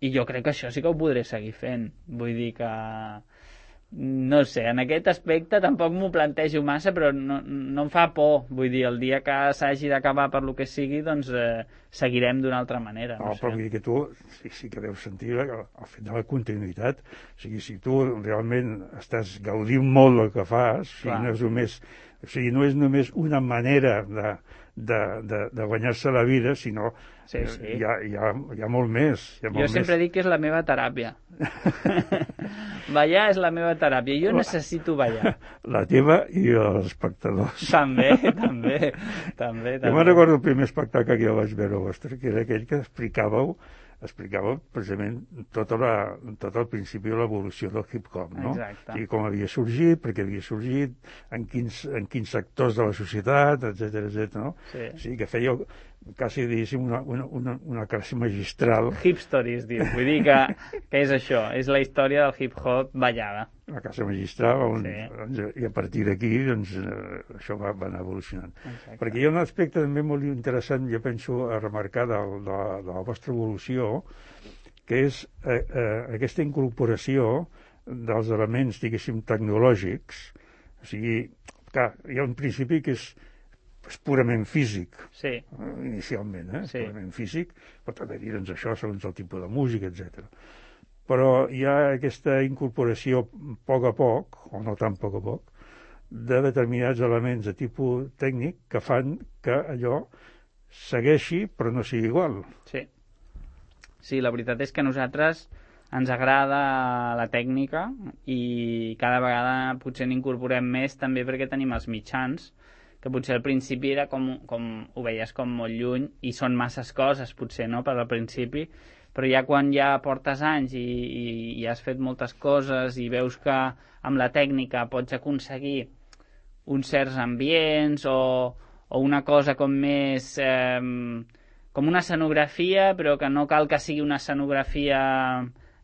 i jo crec que això sí que ho podré seguir fent. Vull dir que... no sé, en aquest aspecte tampoc m'ho plantejo massa, però no, no em fa por. Vull dir, el dia que s'hagi d'acabar per lo que sigui, doncs eh, seguirem d'una altra manera. No, no però vull dir que tu sí, sí que deus sentir el, el fet de la continuïtat. O sigui, si tu realment estàs gaudint molt del que fas, o sigui, no és només, o sigui, no és només una manera de, de, de, de guanyar-se la vida, sinó sí, sí. Hi, ha, hi, ha, hi ha molt més. Hi ha molt jo sempre més. dic que és la meva teràpia. Ballar és la meva teràpia. Jo necessito ballar. La teva i els espectadors. També, també. també, també. Jo me'n recordo el primer espectacle que jo vaig veure vostre, que era aquell que explicàveu explicava precisament tot, la, tot el principi de l'evolució del hip-hop, no? Exacte. I com havia sorgit, perquè havia sorgit, en quins, en quins sectors de la societat, etcètera, etcètera, no? Sí. O sigui, que feia quasi, diguéssim, una, una, una, una classe magistral. Hip stories, diu. Vull dir que, que és això, és la història del hip-hop ballada. Una classe magistral, on, sí. doncs, i a partir d'aquí, doncs, eh, això va, va anar evolucionant. Exacte. Perquè hi ha un aspecte també molt interessant, jo penso, a remarcar de, de, de la vostra evolució, que és eh, eh, aquesta incorporació dels elements, diguéssim, tecnològics. O sigui, clar, hi ha un principi que és, és purament físic, sí. eh, inicialment, eh? Sí. Purament físic, pot haver dit doncs, això segons el tipus de música, etcètera. Però hi ha aquesta incorporació a poc a poc, o no tan a poc a poc, de determinats elements de tipus tècnic que fan que allò segueixi però no sigui igual. Sí. Sí, la veritat és que a nosaltres ens agrada la tècnica i cada vegada potser n'incorporem més també perquè tenim els mitjans, que potser al principi era com, com ho veies com molt lluny i són masses coses potser, no?, per al principi, però ja quan ja portes anys i, i, i has fet moltes coses i veus que amb la tècnica pots aconseguir uns certs ambients o, o una cosa com més... Eh, com una escenografia, però que no cal que sigui una escenografia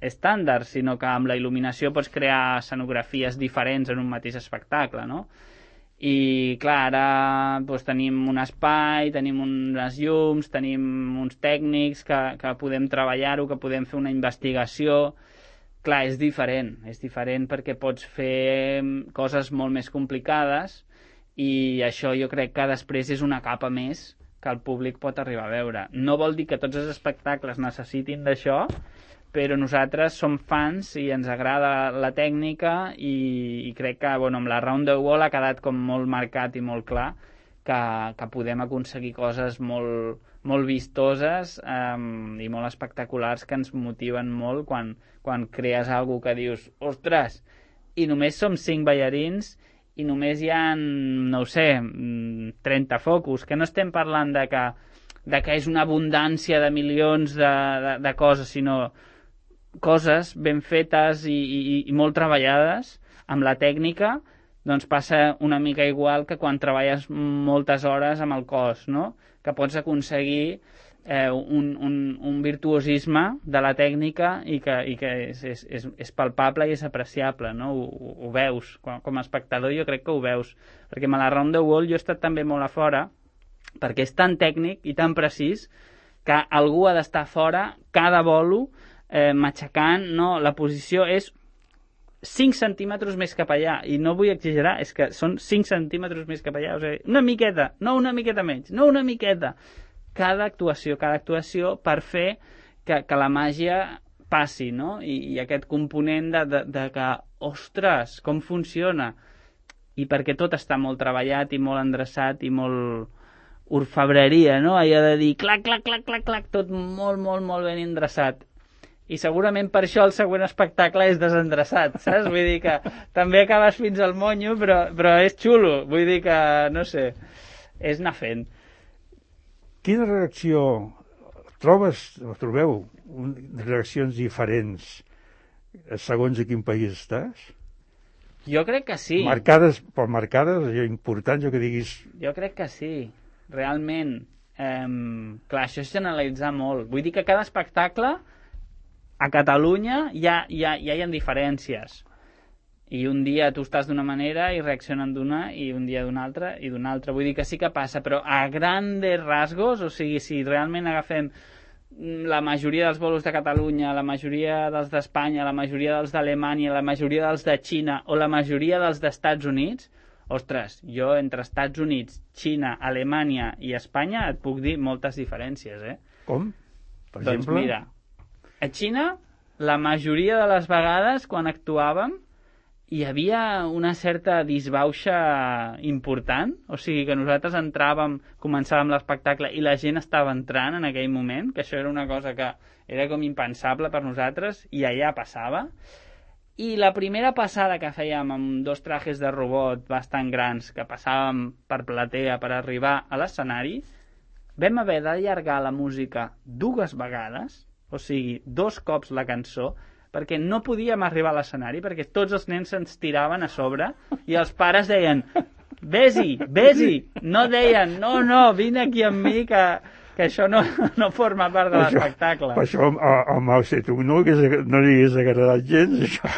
estàndard, sinó que amb la il·luminació pots crear escenografies diferents en un mateix espectacle, no? I, clar, ara doncs, tenim un espai, tenim unes llums, tenim uns tècnics que, que podem treballar-ho, que podem fer una investigació. Clar, és diferent, és diferent perquè pots fer coses molt més complicades i això jo crec que després és una capa més que el públic pot arribar a veure. No vol dir que tots els espectacles necessitin d'això, però nosaltres som fans i ens agrada la tècnica i, i crec que bueno, amb la Round the Wall ha quedat com molt marcat i molt clar que, que podem aconseguir coses molt, molt vistoses um, i molt espectaculars que ens motiven molt quan, quan crees alguna que dius, ostres, i només som cinc ballarins i només hi ha, no ho sé, trenta focus, que no estem parlant de que, de que és una abundància de milions de, de, de coses, sinó coses ben fetes i, i, i molt treballades amb la tècnica doncs passa una mica igual que quan treballes moltes hores amb el cos, no? Que pots aconseguir eh, un, un, un virtuosisme de la tècnica i que, i que és, és, és, és palpable i és apreciable, no? Ho, ho veus. Com, com a espectador jo crec que ho veus. Perquè amb la Round the World jo he estat també molt a fora, perquè és tan tècnic i tan precís que algú ha d'estar fora cada bolo eh, matxacant, no? La posició és cinc centímetres més cap allà, i no vull exagerar, és que són cinc centímetres més cap allà, o sigui, una miqueta, no una miqueta menys, no una miqueta. Cada actuació, cada actuació per fer que, que la màgia passi, no? I, i aquest component de, de, de que, ostres, com funciona? I perquè tot està molt treballat i molt endreçat i molt orfebreria, no? Allò de dir clac, clac, clac, clac, clac, tot molt, molt, molt ben endreçat. I segurament per això el següent espectacle és desendreçat, saps? Vull dir que també acabes fins al monyo, però, però és xulo. Vull dir que, no sé, és anar fent. Quina reacció trobes, o trobeu, un, reaccions diferents segons a quin país estàs? Jo crec que sí. Marcades, però marcades, allò important, jo que diguis... Jo crec que sí, realment. Eh, clar, això és generalitzar molt. Vull dir que cada espectacle a Catalunya ja, ja, ja hi ha diferències. I un dia tu estàs d'una manera i reaccionen d'una, i un dia d'una altra i d'una altra. Vull dir que sí que passa, però a grandes rasgos, o sigui, si realment agafem la majoria dels bolos de Catalunya, la majoria dels d'Espanya, la majoria dels d'Alemanya, la majoria dels de Xina o la majoria dels d'Estats Units, ostres, jo entre Estats Units, Xina, Alemanya i Espanya et puc dir moltes diferències, eh? Com? Per doncs exemple? Mira, a Xina, la majoria de les vegades, quan actuàvem, hi havia una certa disbauxa important, o sigui que nosaltres entràvem, començàvem l'espectacle i la gent estava entrant en aquell moment, que això era una cosa que era com impensable per nosaltres, i allà passava. I la primera passada que fèiem amb dos trajes de robot bastant grans, que passàvem per platea per arribar a l'escenari, vam haver d'allargar la música dues vegades, o sigui, dos cops la cançó, perquè no podíem arribar a l'escenari, perquè tots els nens se'ns tiraven a sobre i els pares deien, vés-hi, vés-hi, no deien, no, no, vine aquí amb mi, que, que això no, no forma part de l'espectacle. Per això a Mao Zedong no, no li hagués agradat gens, això.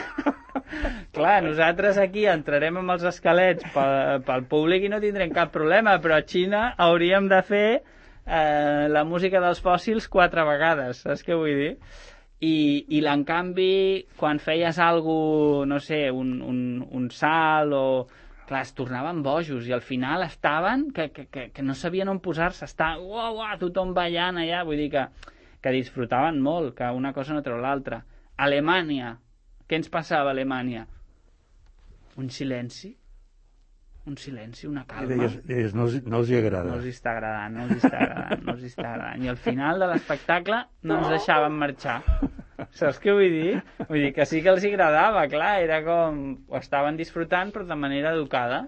Clar, nosaltres aquí entrarem amb els esquelets pel, pel públic i no tindrem cap problema, però a Xina hauríem de fer eh, la música dels fòssils quatre vegades, saps què vull dir? I, i en canvi, quan feies algo, no sé, un, un, un salt o... Clar, es tornaven bojos i al final estaven que, que, que, que no sabien on posar-se, està uau, uau, tothom ballant allà, vull dir que, que disfrutaven molt, que una cosa no treu l'altra. Alemanya, què ens passava a Alemanya? Un silenci, un silenci, una calma. I deies, deies no, els, no els hi agrada. No els està agradant, no els està agradant, no els està agradant. I al final de l'espectacle no ens deixaven marxar. Saps què vull dir? Vull dir que sí que els agradava, clar, era com... Ho estaven disfrutant, però de manera educada.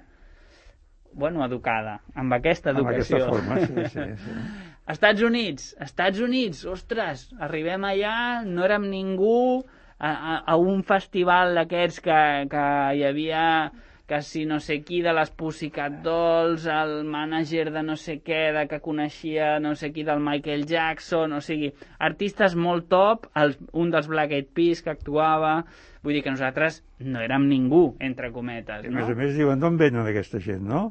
Bueno, educada, amb aquesta educació. Amb aquesta forma, sí, sí, sí. Estats Units, Estats Units, ostres, arribem allà, no érem ningú, a, a, a un festival d'aquests que, que hi havia... que si no sé qui de les Pussycat Dolls, el mànager de no sé què, de que coneixia no sé qui del Michael Jackson, o sigui, artistes molt top, el, un dels Black Eyed Peas que actuava, vull dir que nosaltres no érem ningú, entre cometes, no? A més a més diuen, d'on venen aquesta gent, no?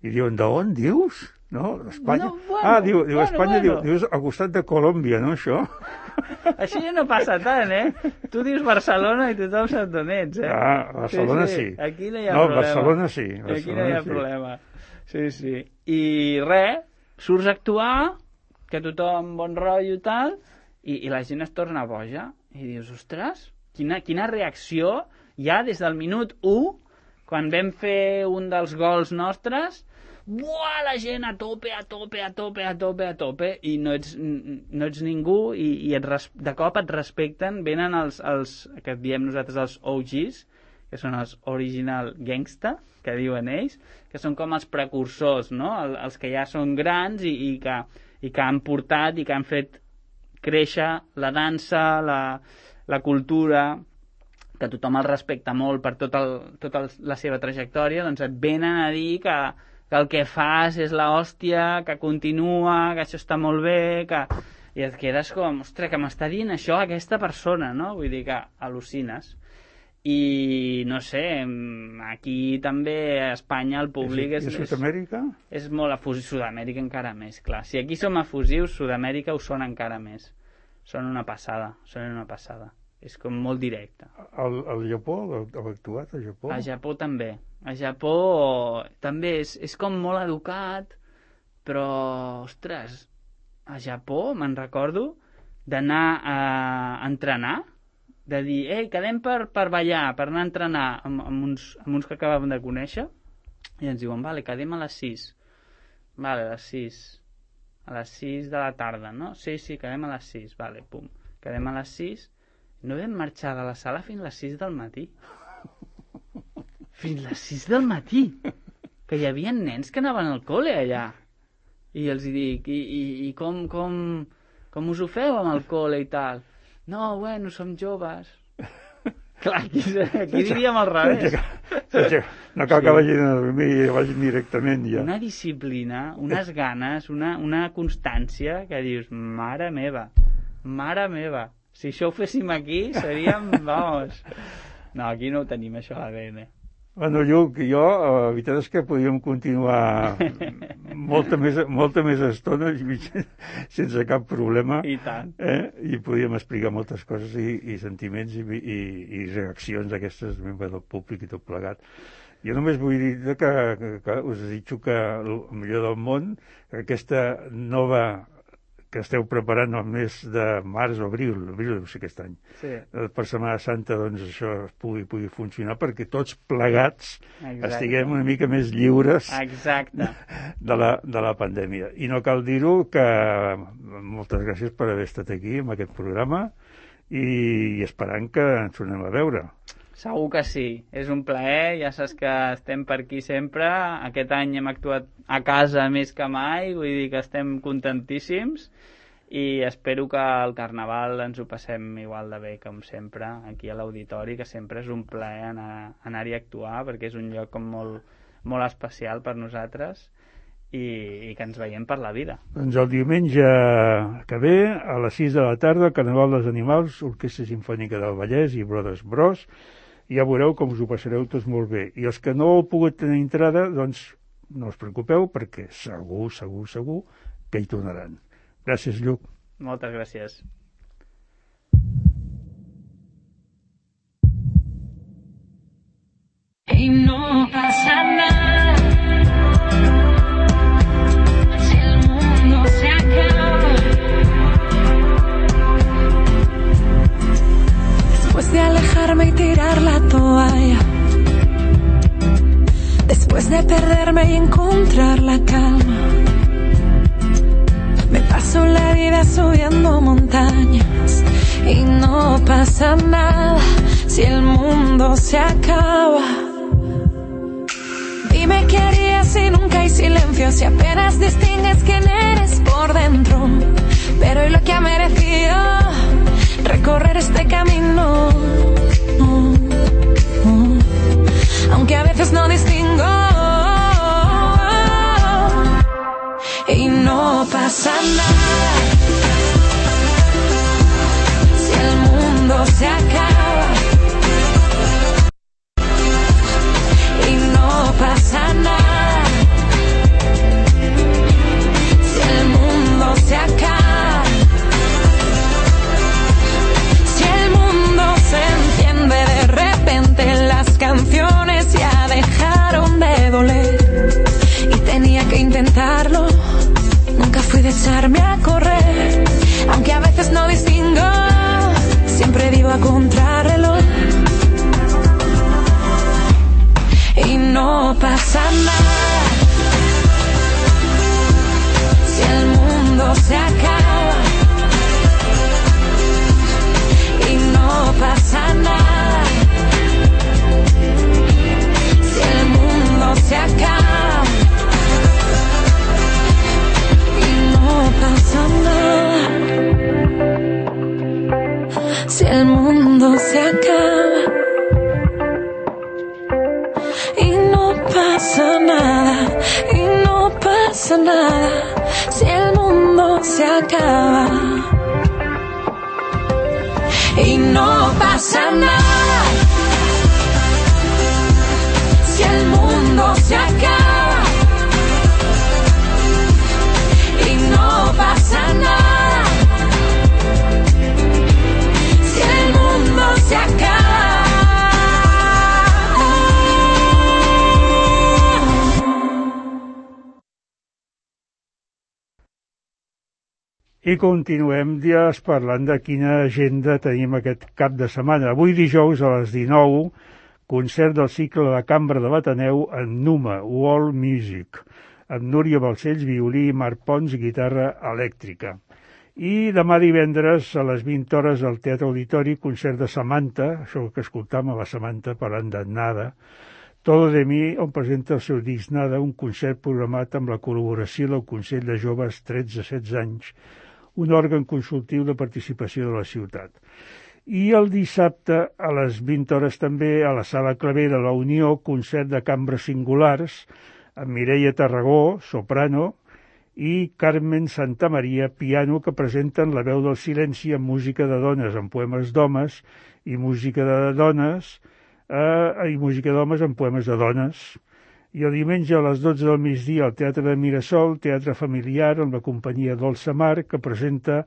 I diuen, d'on, dius? No? Espanya? No, bueno, ah, diu, diu bueno, Espanya, bueno. Diu, dius al costat de Colòmbia, no, això? Així ja no passa tant, eh? Tu dius Barcelona i tothom sap d'on ets, eh? Ah, Barcelona sí. sí. sí. Aquí no hi ha no, problema. Barcelona sí. Barcelona Aquí no hi ha sí. problema. Sí, sí. I res, surts a actuar, que tothom bon rotllo i tal, i, i la gent es torna boja. I dius, ostres, quina, quina reacció ja des del minut u, quan vam fer un dels gols nostres, buah, la gent a tope, a tope, a tope, a tope, a tope, i no ets, no ets ningú, i, i et res, de cop et respecten, venen els, els, que diem nosaltres els O Gs, que són els Original Gangsta, que diuen ells, que són com els precursors, no? El, els que ja són grans i, i, que, i que han portat i que han fet créixer la dansa, la, la cultura, que tothom el respecta molt per tot el, tota la seva trajectòria, doncs et venen a dir que, que el que fas és l'hòstia, que continua, que això està molt bé, que... I et quedes com, ostres, que m'està dient això aquesta persona, no? Vull dir que al·lucines. I, no sé, aquí també a Espanya el públic és... I a Sud-amèrica? És, és molt efusiu. Sud-amèrica encara més, clar. Si aquí som efusius, Sud-amèrica ho són encara més. Són una passada, són una passada. És com molt directe. Al, al Japó, heu actuat al Japó? A Japó també. A Japó també és, és com molt educat, però, ostres, a Japó me'n recordo d'anar a entrenar, de dir, ei, quedem per, per ballar, per anar a entrenar amb, amb, uns, amb uns que acabàvem de conèixer, i ens diuen, vale, quedem a les sis. Vale, a les sis. A les sis de la tarda, no? Sí, sí, quedem a les sis. Vale, pum. Quedem a les sis. No vam marxar de la sala fins a les sis del matí. Fins a les sis del matí. Que hi havia nens que anaven al col·le allà. I els dic, i, i, i com, com, com us ho feu amb el col·le i tal? No, bueno, som joves. Clar, aquí, aquí diríem al revés. No cal que vagin a dormir, vagin directament ja. Una disciplina, unes ganes, una, una constància que dius, mare meva, mare meva. Si això ho féssim aquí, seríem, vamos... No, aquí no ho tenim, això a l'A D N. Bueno, Lluc, jo, la veritat és que podríem continuar molta més, molta més estona sense cap problema. I tant. Eh? I podríem explicar moltes coses i, i sentiments i, i, i reaccions d'aquestes membres del públic i tot plegat. Jo només vull dir que, que, que us desitjo que el millor del món, que aquesta nova que esteu preparant el mes de març o abril, abril deu ser aquest any, sí. Per Setmana Santa, doncs això pugui, pugui funcionar perquè tots plegats Exacte. Estiguem una mica més lliures Exacte. De, la, de la pandèmia. I no cal dir-ho, que moltes gràcies per haver estat aquí en aquest programa i, i esperant que ens tornem a veure. Segur que sí, és un plaer, ja saps que estem per aquí sempre, aquest any hem actuat a casa més que mai, vull dir que estem contentíssims i espero que al Carnaval ens ho passem igual de bé com sempre aquí a l'auditori, que sempre és un plaer anar, anar-hi a actuar perquè és un lloc com molt, molt especial per nosaltres i, i que ens veiem per la vida. Doncs el diumenge que ve, a les sis de la tarda, Carnaval dels Animals, Orquestra Simfònica del Vallès i Brothers Bros, ja veureu com us ho passareu tots molt bé. I els que no heu pogut tenir entrada, doncs no us preocupeu, perquè segur, segur, segur que hi tornaran. Gràcies, Lluc. Moltes gràcies. Y no pasa nada si el mundo se acaba. Después de alejarme y tirar la toalla, después de perderme y encontrar la calma, me paso la vida subiendo montañas y no pasa nada si el mundo se acaba. Dime qué harías si nunca hay silencio, si apenas distingues quién eres por dentro. Pero ¿y lo que ha merecido recorrer este camino? Oh, oh. Aunque a veces no distingo y no pasa nada si el mundo se acaba y no pasa nada si el mundo se acaba, si el mundo se enciende de repente, las canciones ya dejaron de doler y tenía que intentarlo. Nunca fui de echarme a correr, aunque a veces no distingo, siempre vivo a contrarreloj. Y no pasa nada si el mundo se acaba. Y no pasa nada si el mundo se acaba. No pasa nada si el mundo se acaba. acaba. Y no pasa nada si el mundo se acaba. Y no pasa nada si el mundo se acaba. I continuem dies parlant de quina agenda tenim aquest cap de setmana. Avui dijous a les dinou, concert del cicle de cambra de l'Ateneu en Numa, World Music, amb Núria Balcells, violí, i Marc Pons, guitarra elèctrica. I demà divendres a les vint hores al Teatre Auditori, concert de Samantha, això que escoltam a la Samantha parlant de Nada, Todo de mi, on presenta el seu disc Nada, un concert programat amb la col·laboració del Consell de Joves tretze a setze anys, un òrgan consultiu de participació de la ciutat. I el dissabte, a les vint hores també, a la Sala Clavé de la Unió, concert de cambres singulars, amb Mireia Tarragó, soprano, i Carmen Santamaria, piano, que presenten La veu del silenci amb música de dones, amb poemes d'homes, i música de dones, eh, i música d'homes amb poemes de dones. I el diumenge a les dotze del migdia al Teatre de Mirasol, teatre familiar amb la companyia Dolça Mar, que presenta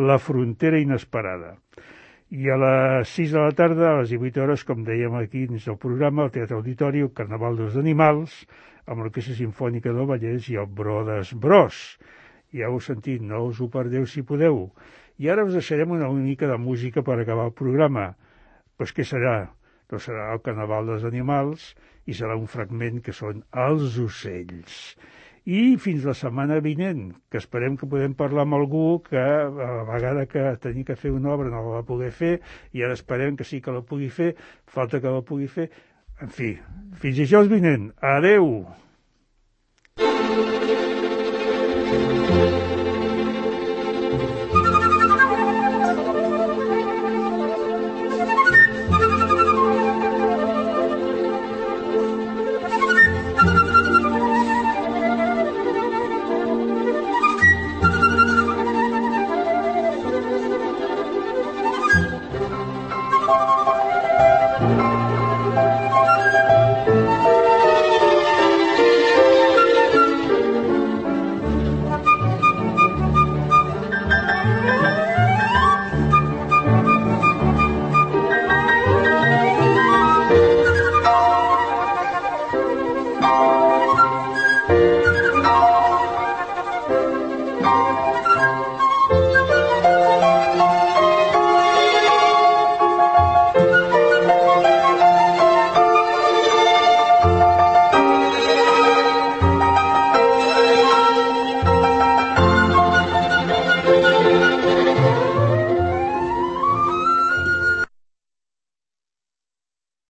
La frontera inesperada. I a les sis de la tarda, a les divuit hores, com dèiem aquí dins del programa, al Teatre Auditori, el Carnaval dels Animals, amb l'Orquestra Simfònica del Vallès i el Brodes Bros. Ja ho heu sentit, no us ho perdeu si podeu. I ara us deixarem una mica de música per acabar el programa. Pues què serà? Doncs serà el Carnaval dels Animals i serà un fragment que són els ocells. I fins la setmana vinent, que esperem que podem parlar amb algú que a la vegada que tenia que fer una obra no la va poder fer, i ara esperem que sí que la pugui fer, falta que la pugui fer. En fi, fins dijous vinent. Adeu! Thank you.